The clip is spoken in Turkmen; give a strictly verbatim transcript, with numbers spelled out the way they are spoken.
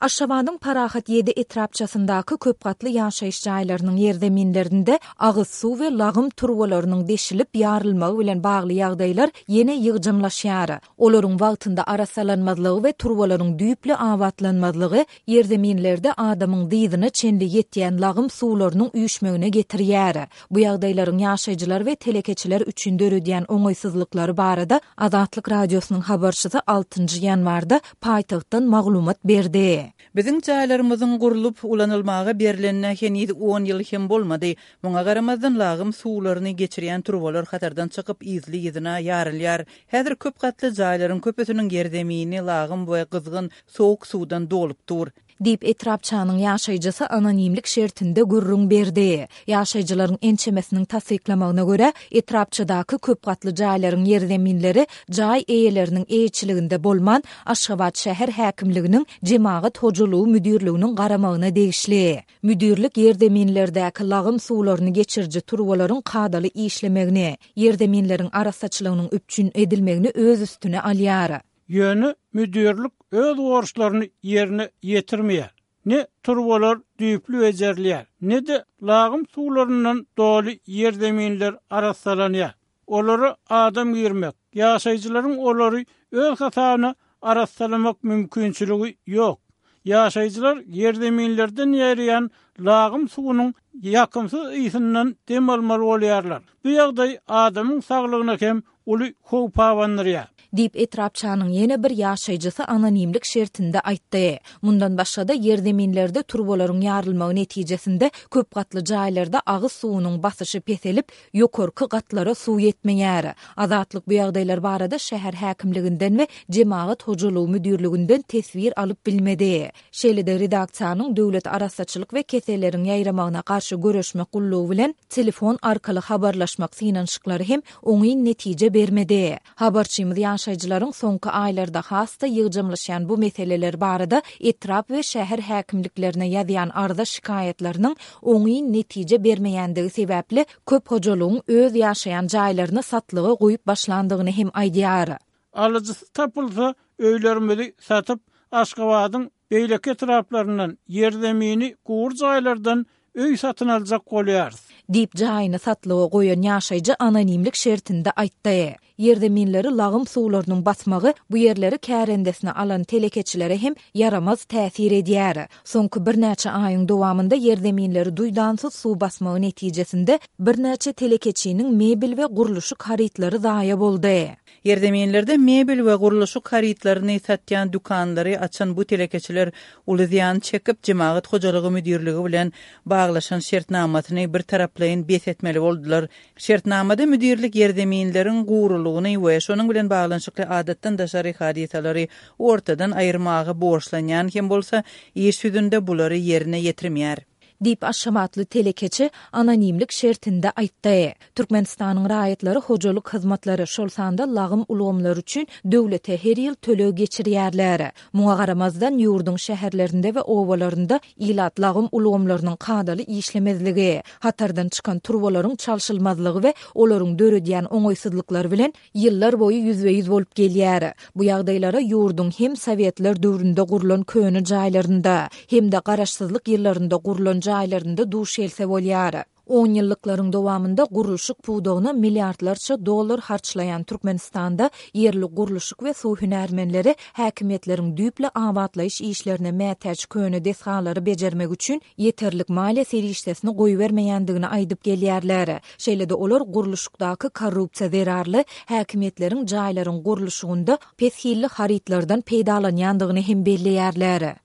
Aşgabadyň Parahat ýedi etrapçasyndaky köp gatly ýaşaýyş jaýlarynyň ýerzeminlerinde agyz suw we lagym turbalarynyň deşilip ýarylmagy bilen bagly ýagdaýlar ýene ýygjamlaşýar. Olaryň wagtynda arassalanmazlygy we turbalaryň düýpli abatlanmazlygy ýerzeminlerde adamyň dyzyna çenli ýetýän lagym suwlarynyň üýşmegine getirýär. Bu ýagdaýlaryň ýaşaýjylar we telekeçiler üçin döredýän oňaýsyzlyklary barada Azatlyk Radiosynyň habarçysy altynjy ýanwarda paýtagtdan maglumat berdi. Biziň jaýlarymyzyň gurlup ulanylmaga berlenine heniz on ýyl hem bolmady. Muňa garamazdan lagym suwlaryny geçirýän turbalar hatardan çykyp yzly-yzyna ýarylýar. Häzir köp gatly jaýlaryň köpüsiniň ýerzemini lagym we gyzgyn sowuk suwdan dolup dur. Diýip etrapçanyň ýaşaýjysy anonimlik şertinde gürrüň berdi. Ýaşaýjylaryň ençemesiniň tassyklamagyna görä, etrapçadaky köp gatly jaýlaryň ýerzeminleri jaý eýeleriniň eýeçiliginde bolman, Aşgabat şäher häkimliginiň jemagat hojalygy müdirliginiň garamagyna degişli. Müdirlik ýerzeminlerdäki lagym suwlaryny geçiriji turbalaryň kadaly işlemegini, ýerzeminleriň arassaçylygynyň üpjün edilmegini öz üstüne alýar. Ýöne müdirlik öz borçlaryny ýerine ýetirmeýär. Ne turbalar düýpli bejerilýär, ne de lagym suwlaryndan doly ýerzeminler arassalanýar. Olara adam girmek, ýaşaýjylaryň olary öz hasabyna arassalamak mümkinçiligi ýok. Ýaşaýjylar ýerzeminlerden ýerýän lagym suwunyň ýakymsyz ysyndan dem almaly bolýarlar. Bu ýagdaý adamyň saglygyna hem uly howp abandyrýar. Diýip etrapçanyň ýene bir ýaşaýjysy anonimlik şertinde aýtdy. Mundan başga-da ýerzeminlerde turbalaryň ýarylmagy netijesinde köp gatly jaýlarda agyz suwunyň basyşy peselip, ýokarky gatlara suw ýetmeýär. Azatlyk bu ýagdaýlar barada şäher häkimliginden we jemagat hojalygy müdirliginden teswir alyp bilmedi. Şeýle-de redaksiýanyň döwlet arassaçylyk we keselleriň ýaýramagyna garşy göreşmek gullugy bilen telefon arkaly habarlaşmak synanyşyklary hem oňyn netije bermedi. Habarçymyz ýaşaýjylaryň soňky aýlarda has-da ýygjamlaşýan bu meseleler barada etrap we şäher häkimliklerine ýazýan arza şikaýatlarynyň oňyn netije bermeýändigi sebäpli köp hojalygyň öz ýaşaýan jaýlaryny satlyga goýup başlandygyny hem aýdýar. Alyjysy tapylsa öýlerimizi satyp Aşgabadyň beýleki etraplaryndan ýerzemini gury jaýlardan öý satyn aljak bolýarys. Diýip jaýyny satlyga goýan ýaşaýjy anonimlik şertinde aýtdy. Ýerzeminleri lagym suwlarynyň basmagy bu ýerleri kärendesine alan telekeçilere hem ýaramaz täsir edýär. Soňky birnäçe aýyň dowamynda ýerzeminleri duýdansyz suw basmagy netijesinde birnäçe telekeçiniň mebel we gurluşyk harytlary zaýa boldy. Ýerzeminlerde mebel we gurluşyk harytlaryny satýan dükanlary açan bu telekeçiler uly zyýan çekip, jemagat hojalygy müdirligi bilen baglaşan şertnamasyny bir taraplaýyn bes etmeli boldular. Şertnamada müdirlik ýerzeminleriň gurulygyny we şonuň bilen baglanyşykly adatdan daşary hadysalary ortadan aýyrmaga borçlanýan hem bolsa, iş ýüzünde bulary ýerine ýetirmeýär. Diýip Aşgabatly telekeçi anonimlik şertinde aýtdy. Türkmenistanyň raýatlary hojalyk hyzmatlary, şol sanda lagym ulgamlary üçin döwlete her ýyl töleg geçirýärler. Muňa garamazdan ýurduň şäherlerinde we obalarynda ilat lagym ulgamlarynyň kadaly işlemezligi, hatardan çykan turbalaryň çalşylmazlygy we olaryň döredýän oňaýsyzlyklary bilen ýyllar boýy ýüzbe-ýüz bolup gelýär. Bu ýagdaýlara ýurduň hem Sowetler döwründe gurlan köne jaýlarynda, hem-de garaşsyzlyk ýyllarynda gurlan jaýlarynda duş gelse bolýar. On ýyllyklaryň dowamynda gurluşyk pudagyna milliardlarça dollar harçlaýan Türkmenistanda ýerli gurluşyk we suw hünärmenleri häkimiýetleriň düýpli abatlaýyş işlerine mätäç köne desgalary bejermek üçin ýeterlik maliýe serişdesini goýbermeýändigini aýdyp gelýärler. Şeýle-de olar gurluşykdaky korrupsiýa zerarly häkimiýetleriň jaýlaryň gurluşygynda pes hilli harytlardan peýdalanýandygyny hem belleýärler.